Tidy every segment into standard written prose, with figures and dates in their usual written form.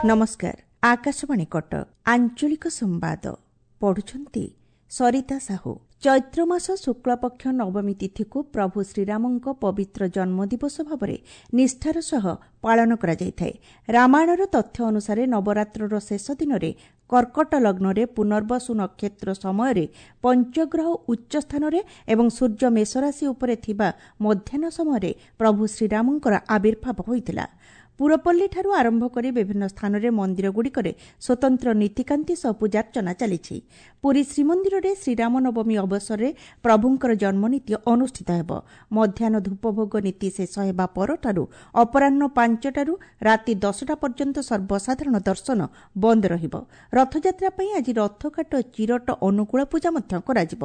ନମସ୍କାର, ଆକାଶବାଣୀ କଟକ, ଆଞ୍ଚଳିକ ସମ୍ବାଦ ପଢୁଛନ୍ତି ସରିତା ସାହୁ। ଚୈତ୍ର ମାସ ଶୁକ୍ଳପକ୍ଷ ନବମୀ ତିଥିକୁ ପ୍ରଭୁ ଶ୍ରୀରାମଙ୍କ ପବିତ୍ର ଜନ୍ମଦିବସ ଭାବରେ ନିଷ୍ଠାର ସହ ପାଳନ କରାଯାଇଥାଏ। ରାମାୟଣର ତଥ୍ୟ ଅନୁସାରେ ନବରାତ୍ରର ଶେଷ ଦିନରେ କର୍କଟ ଲଗ୍ନରେ ପୁନର୍ବସୁ ନକ୍ଷତ୍ର ସମୟରେ ପଞ୍ଚଗ୍ରହ ଉଚ୍ଚ ସ୍ଥାନରେ ଏବଂ ସୂର୍ଯ୍ୟ ମେଷରାଶି ଉପରେ ଥିବା ମଧ୍ୟାହ୍ନ ସମୟରେ ପ୍ରଭୁ ଶ୍ରୀରାମଙ୍କର ଆବିର୍ଭାବ ହୋଇଥିଲା। ପୁରପଲ୍ଲୀଠାରୁ ଆରମ୍ଭ କରି ବିଭିନ୍ନ ସ୍ଥାନରେ ମନ୍ଦିରଗୁଡ଼ିକରେ ସ୍ୱତନ୍ତ୍ର ନୀତିକାନ୍ତି ସହ ପୂଜାର୍ଚ୍ଚନା ଚାଲିଛି। ପୁରୀ ଶ୍ରୀମନ୍ଦିରରେ ଶ୍ରୀରାମ ନବମୀ ଅବସରରେ ପ୍ରଭୁଙ୍କର ଜନ୍ମନୀତି ଅନୁଷ୍ଠିତ ହେବ। ମଧ୍ୟାହ୍ନ ଧୂପଭୋଗ ନୀତି ଶେଷ ହେବା ପରଠାରୁ ଅପରାହ୍ନ 5ଟାରୁ ରାତି 10ଟା ପର୍ଯ୍ୟନ୍ତ ସର୍ବସାଧାରଣ ଦର୍ଶନ ବନ୍ଦ ରହିବ। ରଥଯାତ୍ରା ପାଇଁ ଆଜି ରଥକାଠ ଚିରଟ ଅନୁକୂଳ ପୂଜା ମଧ୍ୟ କରାଯିବ।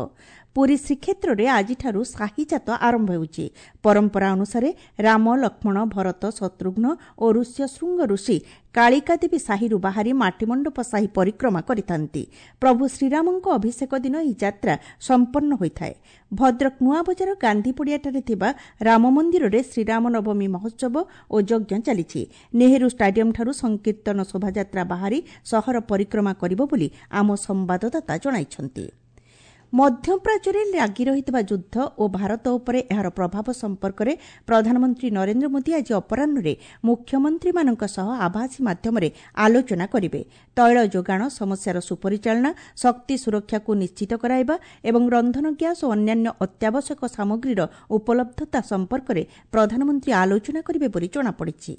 ପୁରୀ ଶ୍ରୀକ୍ଷେତ୍ରରେ ଆଜିଠାରୁ ସାହିଯାତ ଆରମ୍ଭ ହେଉଛି। ପରମ୍ପରା ଅନୁସାରେ ରାମ, ଲକ୍ଷ୍ମଣ, ଭରତ, ଶତ୍ରୁଘ୍ନ ଓ ଋଷ୍ୟଶୃଙ୍ଗ ଋଷି କାଳିକାଦେବୀ ସାହିରୁ ବାହାରି ମାଟିମଣ୍ଡପ ସାହି ପରିକ୍ରମା କରିଥାନ୍ତି। ପ୍ରଭୁ ଶ୍ରୀରାମଙ୍କ ଅଭିଷେକ ଦିନ ଏହି ଯାତ୍ରା ସମ୍ପନ୍ନ ହୋଇଥାଏ। ଭଦ୍ରକ ନୂଆବଜାର ଗାନ୍ଧୀପଡ଼ିଆଠାରେ ଥିବା ରାମ ମନ୍ଦିରରେ ଶ୍ରୀରାମ ନବମୀ ମହୋତ୍ସବ ଓ ଯଜ୍ଞ ଚାଲିଛି। ନେହେରୁ ଷ୍ଟାଡିୟମ୍ଠାରୁ ସଂକୀର୍ତ୍ତନ ଶୋଭାଯାତ୍ରା ବାହାରି ସହର ପରିକ୍ରମା କରିବ ବୋଲି ଆମ ସମ୍ବାଦଦାତା ଜଣାଇଛନ୍ତି। ମଧ୍ୟପ୍ରାଚ୍ୟରେ ଲାଗି ରହିଥିବା ଯୁଦ୍ଧ ଓ ଭାରତ ଉପରେ ଏହାର ପ୍ରଭାବ ସମ୍ପର୍କରେ ପ୍ରଧାନମନ୍ତ୍ରୀ ନରେନ୍ଦ୍ର ମୋଦି ଆଜି ଅପରାହ୍ନରେ ମୁଖ୍ୟମନ୍ତ୍ରୀମାନଙ୍କ ସହ ଆଭାସୀ ମାଧ୍ୟମରେ ଆଲୋଚନା କରିବେ। ତୈଳ ଯୋଗାଣ ସମସ୍ୟାର ସୁପରିଚାଳନା, ଶକ୍ତି ସୁରକ୍ଷାକୁ ନିଶ୍ଚିତ କରାଇବା ଏବଂ ରନ୍ଧନ ଗ୍ୟାସ୍ ଓ ଅନ୍ୟାନ୍ୟ ଅତ୍ୟାବଶ୍ୟକ ସାମଗ୍ରୀର ଉପଲବ୍ଧତା ସମ୍ପର୍କରେ ପ୍ରଧାନମନ୍ତ୍ରୀ ଆଲୋଚନା କରିବେ ବୋଲି ଜଣାପଡ଼ିଛି।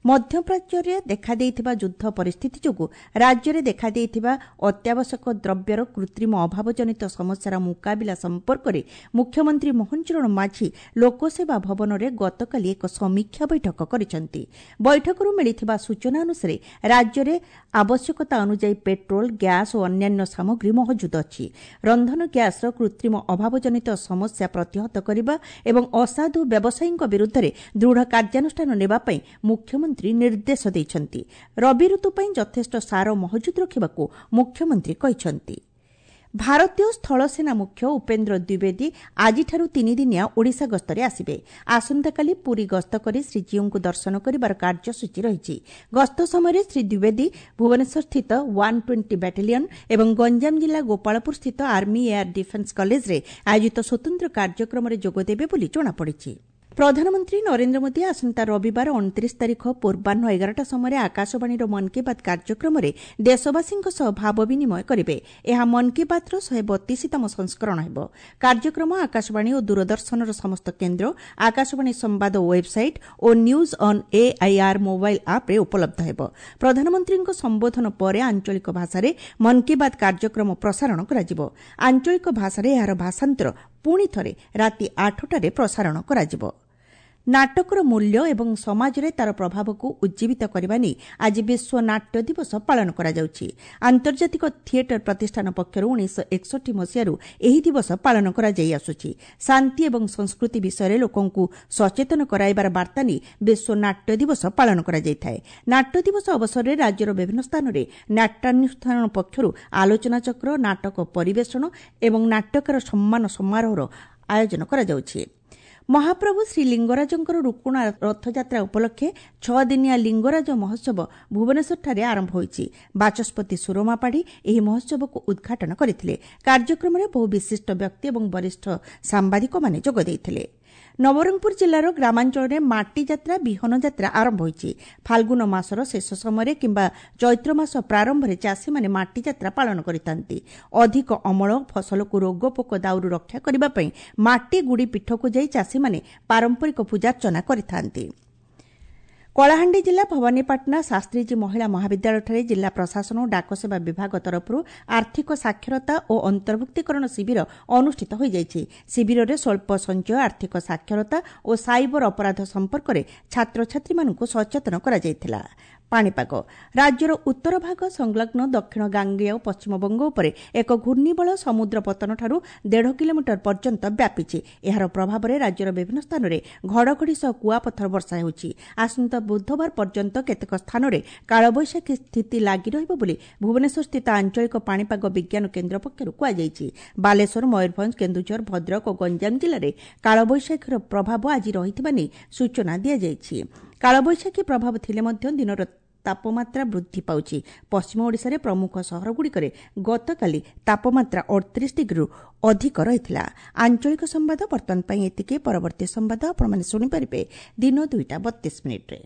ମଧ୍ୟପ୍ରାଚ୍ୟରେ ଦେଖାଦେଇଥିବା ଯୁଦ୍ଧ ପରିସ୍ଥିତି ଯୋଗୁଁ ରାଜ୍ୟରେ ଦେଖାଦେଇଥିବା ଅତ୍ୟାବଶ୍ୟକ ଦ୍ରବ୍ୟର କୃତ୍ରିମ ଅଭାବଜନିତ ସମସ୍ୟାର ମୁକାବିଲା ସମ୍ପର୍କରେ ମୁଖ୍ୟମନ୍ତ୍ରୀ ମୋହନ ଚରଣ ମାଝୀ ଲୋକସେବା ଭବନରେ ଗତକାଲି ଏକ ସମୀକ୍ଷା ବୈଠକ କରିଛନ୍ତି। ବୈଠକରୁ ମିଳିଥିବା ସୂଚନା ଅନୁସାରେ ରାଜ୍ୟରେ ଆବଶ୍ୟକତା ଅନୁଯାୟୀ ପେଟ୍ରୋଲ, ଗ୍ୟାସ୍ ଓ ଅନ୍ୟାନ୍ୟ ସାମଗ୍ରୀ ମହଜୁଦ ଅଛି। ରନ୍ଧନ ଗ୍ୟାସ୍ର କୃତ୍ରିମ ଅଭାବଜନିତ ସମସ୍ୟା ପ୍ରତିହତ କରିବା ଏବଂ ଅସାଧୁ ବ୍ୟବସାୟୀଙ୍କ ବିରୁଦ୍ଧରେ ଦୃଢ଼ କାର୍ଯ୍ୟାନୁଷ୍ଠାନ ନେବା ପାଇଁ ମୁଖ୍ୟମନ୍ତ୍ରୀ ନିର୍ଦ୍ଦେଶ ଦେଇଛନ୍ତି। ରବି ଋତୁ ପାଇଁ ଯଥେଷ୍ଟ ସାର ମହଜୁଦ ରଖିବାକୁ ମୁଖ୍ୟମନ୍ତ୍ରୀ କହିଛନ୍ତି। ଭାରତୀୟ ସ୍ଥଳସେନା ମୁଖ୍ୟ ଉପେନ୍ଦ୍ର ଦ୍ୱିବେଦୀ ଆଜିଠାରୁ ତିନିଦିନିଆ ଓଡ଼ିଶା ଗସ୍ତରେ ଆସିବେ। ଆସନ୍ତାକାଲି ପୁରୀ ଗସ୍ତ କରି ଶ୍ରୀଜୀଉଙ୍କୁ ଦର୍ଶନ କରିବାର କାର୍ଯ୍ୟସୂଚୀ ରହିଛି। ଗସ୍ତ ସମୟରେ ଶ୍ରୀ ଦ୍ୱିବେଦୀ ଭୁବନେଶ୍ୱରସ୍ଥିତ 120 ବାଟାଲିୟନ ଏବଂ ଗଞ୍ଜାମ ଜିଲ୍ଲା ଗୋପାଳପୁରସ୍ଥିତ ଆର୍ମି ଏୟାର ଡିଫେନ୍ସ କଲେଜରେ ଆୟୋଜିତ ସ୍ୱତନ୍ତ୍ର କାର୍ଯ୍ୟକ୍ରମରେ ଯୋଗଦେବେ ବୋଲି ଜଣାପଡ଼ିଛି। ପ୍ରଧାନମନ୍ତ୍ରୀ ନରେନ୍ଦ୍ର ମୋଦି ଆସନ୍ତା ରବିବାର 29 ତାରିଖ ପୂର୍ବାହ୍ନ 11ଟା ସମୟରେ ଆକାଶବାଣୀର ମନ୍ କି ବାତ୍ କାର୍ଯ୍ୟକ୍ରମରେ ଦେଶବାସୀଙ୍କ ସହ ଭାବ ବିନିମୟ କରିବେ। ଏହା ମନ୍ କି ବାତ୍ର 132ତମ ସଂସ୍କରଣ ହେବ। କାର୍ଯ୍ୟକ୍ରମ ଆକାଶବାଣୀ ଓ ଦୂରଦର୍ଶନର ସମସ୍ତ କେନ୍ଦ୍ର, ଆକାଶବାଣୀ ସମ୍ବାଦ website O news on AIR mobile ଆପ୍ରେ ଉପଲବ୍ଧ ହେବ। ପ୍ରଧାନମନ୍ତ୍ରୀଙ୍କ ସମ୍ବୋଧନ ପରେ ଆଞ୍ଚଳିକ ଭାଷାରେ ମନ୍ କି ବାତ୍ କାର୍ଯ୍ୟକ୍ରମ ପ୍ରସାରଣ କରାଯିବ। ଆଞ୍ଚଳିକ ଭାଷାରେ ଏହାର ଭାଷାନ୍ତର ପୁଣି ଥରେ ରାତି 8ଟାରେ ପ୍ରସାରଣ କରାଯିବ। ନାଟକର ମୂଲ୍ୟ ଏବଂ ସମାଜରେ ତାର ପ୍ରଭାବକୁ ଉଜ୍ଜୀବିତ କରିବା ନେଇ ଆଜି ବିଶ୍ୱ ନାଟ୍ୟ ଦିବସ ପାଳନ କରାଯାଉଛି। ଆନ୍ତର୍ଜାତିକ ଥିଏଟର ପ୍ରତିଷ୍ଠାନ ପକ୍ଷରୁ 1961 ମସିହାରୁ ଏହି ଦିବସ ପାଳନ କରାଯାଇ ଆସୁଛି। ଶାନ୍ତି ଏବଂ ସଂସ୍କୃତି ବିଷୟରେ ଲୋକଙ୍କୁ ସଚେତନ କରାଇବାର ବାର୍ତ୍ତା ନେଇ ବିଶ୍ୱ ନାଟ୍ୟ ଦିବସ ପାଳନ କରାଯାଇଥାଏ। ନାଟ୍ୟ ଦିବସ ଅବସରରେ ରାଜ୍ୟର ବିଭିନ୍ନ ସ୍ଥାନରେ ନାଟ୍ୟାନୁଷ୍ଠାନ ପକ୍ଷରୁ ଆଲୋଚନାଚକ୍ର, ନାଟକ ପରିବେଷଣ ଏବଂ ନାଟ୍ୟକାର ସମ୍ମାନ ସମାରୋହର ଆୟୋଜନ କରାଯାଉଛି। ମହାପ୍ରଭୁ ଶ୍ରୀଲିଙ୍ଗରାଜଙ୍କର ରୁକୁଣା ରଥଯାତ୍ରା ଉପଲକ୍ଷେ 6 ଦିନିଆ ଲିଙ୍ଗରାଜ ମହୋତ୍ସବ ଭୁବନେଶ୍ୱରଠାରେ ଆରମ୍ଭ ହୋଇଛି। ବାଚସ୍ପତି ସୁରମା ପାଢ଼ୀ ଏହି ମହୋତ୍ସବକୁ ଉଦ୍ଘାଟନ କରିଥିଲେ। କାର୍ଯ୍ୟକ୍ରମରେ ବହୁ ବିଶିଷ୍ଟ ବ୍ୟକ୍ତି ଏବଂ ବରିଷ୍ଠ ସାମ୍ବାଦିକମାନେ ଯୋଗ ଦେଇଥିଲେ। ନବରଙ୍ଗପୁର ଜିଲ୍ଲାର ଗ୍ରାମାଞ୍ଚଳରେ ମାଟି ଯାତ୍ରା, ବିହନ ଯାତ୍ରା ଆରମ୍ଭ ହୋଇଛି। ଫାଲ୍ଗୁନ ମାସର ଶେଷ ସମୟରେ କିମ୍ବା ଚୈତ୍ର ମାସ ପ୍ରାରମ୍ଭରେ ଚାଷୀମାନେ ମାଟି ଯାତ୍ରା ପାଳନ କରିଥାନ୍ତି। ଅଧିକ ଅମଳ, ଫସଲକୁ ରୋଗ ପୋକ ଦାଉରୁ ରକ୍ଷା କରିବା ପାଇଁ ମାଟି ଗୁଡ଼ି ପୀଠକୁ ଯାଇ ଚାଷୀମାନେ ପାରମ୍ପରିକ ପୂଜାର୍ଚ୍ଚନା କରିଥାନ୍ତି। କଳାହାଣ୍ଡି ଜିଲ୍ଲା ଭବାନୀପାଟଣା ଶାସ୍ତ୍ରୀଜୀ ମହିଳା ମହାବିଦ୍ୟାଳୟଠାରେ ଜିଲ୍ଲା ପ୍ରଶାସନ ଓ ଡାକସେବା ବିଭାଗ ତରଫରୁ ଆର୍ଥିକ ସାକ୍ଷରତା ଓ ଅନ୍ତର୍ଭୁକ୍ତୀକରଣ ଶିବିର ଅନୁଷ୍ଠିତ ହୋଇଯାଇଛି। ଶିବିରରେ ସ୍ୱଳ୍ପ ସଞ୍ଚୟ, ଆର୍ଥିକ ସାକ୍ଷରତା ଓ ସାଇବର ଅପରାଧ ସମ୍ପର୍କରେ ଛାତ୍ରଛାତ୍ରୀମାନଙ୍କୁ ସଚେତନ କରାଯାଇଥିଲା। ପାଣିପାଗ। ରାଜ୍ୟର ଉତ୍ତର ଭାଗ ସଂଲଗ୍ନ ଦକ୍ଷିଣ ଗାଙ୍ଗେୟ ପଶ୍ଚିମବଙ୍ଗ ଉପରେ ଏକ ଘୂର୍ଣ୍ଣିବଳୟ ସମୁଦ୍ର ପତନଠାରୁ 1.5 କିଲୋମିଟର ପର୍ଯ୍ୟନ୍ତ ବ୍ୟାପିଛି। ଏହାର ପ୍ରଭାବରେ ରାଜ୍ୟର ବିଭିନ୍ନ ସ୍ଥାନରେ ଘଡ଼ଘଡ଼ି ସହ କୁଆପଥର ବର୍ଷା ହେଉଛି। ଆସନ୍ତା ବୁଧବାର ପର୍ଯ୍ୟନ୍ତ କେତେକ ସ୍ଥାନରେ କାଳବୈଶାଖୀ ସ୍ଥିତି ଲାଗି ରହିବ ବୋଲି ଭୁବନେଶ୍ୱରସ୍ଥିତ ଆଞ୍ଚଳିକ ପାଣିପାଗ ବିଜ୍ଞାନ କେନ୍ଦ୍ର ପକ୍ଷରୁ କୁହାଯାଇଛି। ବାଲେଶ୍ୱର, ମୟୂରଭଞ୍ଜ, କେନ୍ଦୁଝର, ଭଦ୍ରକ ଓ ଗଞ୍ଜାମ ଜିଲ୍ଲାରେ କାଳବୈଶାଖୀର ପ୍ରଭାବ ଆଜି ରହିଥିବା ନେଇ ସୂଚନା ଦିଆଯାଇଛି। କାଳବୈଶାଖୀ ପ୍ରଭାବ ଥିଲେ ମଧ୍ୟ ଦିନର ତାପମାତ୍ରା ବୃଦ୍ଧି ପାଉଛି। ପଶ୍ଚିମ ଓଡ଼ିଶାରେ ପ୍ରମୁଖ ସହରଗୁଡ଼ିକରେ ଗତକାଲି ତାପମାତ୍ରା 38 ଡିଗ୍ରୀରୁ ଅଧିକ ରହିଥିଲା। ଆଞ୍ଚଳିକ ସମ୍ବାଦ ବର୍ତ୍ତମାନ ପାଇଁ ଏତିକି। ପରବର୍ତ୍ତୀ ସମ୍ବାଦ ଆପଣମାନେ ଶୁଣିପାରିବେ ଦିନ 2ଟା 32 ମିନିଟ୍ରେ।